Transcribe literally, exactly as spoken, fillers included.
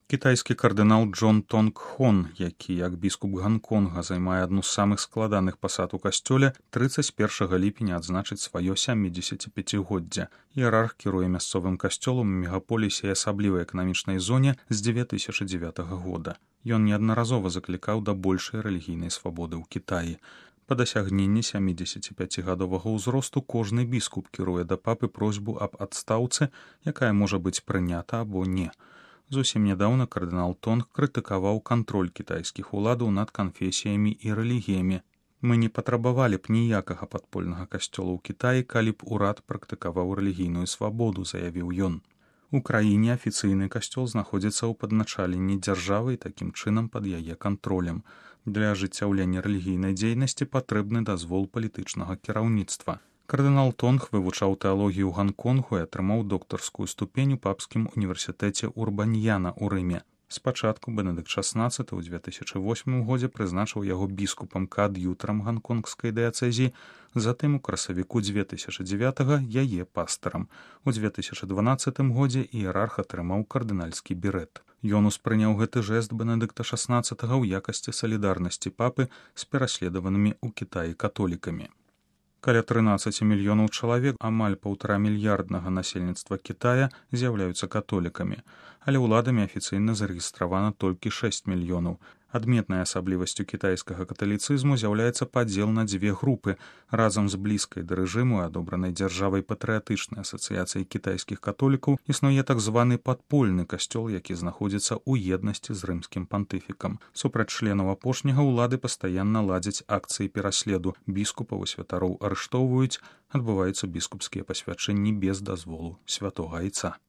Кітайскі кардынал Джон Тонг Хон, які як біскуп Ганконга займае адну з самых складаных пасад у касцёле, трыццаць першага ліпеня адзначыць сваё сямідзесяціпяцігоддзе. Іерарх кіруе мясцовым касцёлам у мегаполісе і асаблівай эканамічнай зоне з дзве тысячы дзевятага года. Ён неаднаразова заклікаў да большай рэлігійнай свабоды ў Кітаі. Па дасягненні сямідзесяціпяцігадовага ўзросту кожны біскуп кіруе да папы просьбу аб адстаўцы, якая можа быць прынята або не. Зусім нядаўна кардынал Тонг крытыкаваў кантроль кітайскіх уладаў над канфесіямі і рэлігіямі. Мы не патрабавалі б ніякага падпольнага касцёла ў Кітаі, калі б урад практыкаваў рэлігійную свабоду, заявіў ён. У краіне афіцыйны касцёл знаходзіцца ў падначаленні дзяржавы і такім чынам пад яе кантролем. Для ажыццяўлення рэлігійнай дзейнасці патрэбны дазвол палітычнага кіраўніцтва. Кардынал Тонг вывучаў тэалогію ў Ганконгу і атрымаў доктарскую ступень у папскім універсітэце Урбаньяна ў Рыме. Спачатку Бенедыкт шаснаццаты ў дзве тысячы восьмым годзе прызначыў яго біскупам каад'ютарам ганконгскай дыяцэзіі, затым у красавіку дзве тысячы дзевятага яе пастарам. У дзве тысячы дванаццатым годзе іерарх атрымаў кардынальскі берэт. Ён успрыняў гэты жэст Бенедыкта шаснаццатага ў якасці салідарнасці папы з пераследаванымі ў Кітаі католікамі. Каля трынаццаць мільёнаў чалавек, амаль паўтара мільярднага насельніцтва Кітая з'яўляюцца католікамі, але ўладамі афіцыйна зарэгістравана толькі шэсць мільёнаў. Адметнай асаблівасцю кітайскага каталіцызму з'яўляецца падзел на дзве групы. Разам з блізкай да рэжыму і адобранай дзяржавай патрыятычнай асацыяцыяй кітайскіх католікаў існуе так званы падпольны касцёл, які знаходзіцца ў еднасці з рымскім пантыфікам. Супраць членаў апошняга ўлады пастаянна ладзяць акцыі пераследу. Біскупаў і святароў арыштоўваюць, адбываюцца біскупскія пасвячэнні без дазволу святога айца.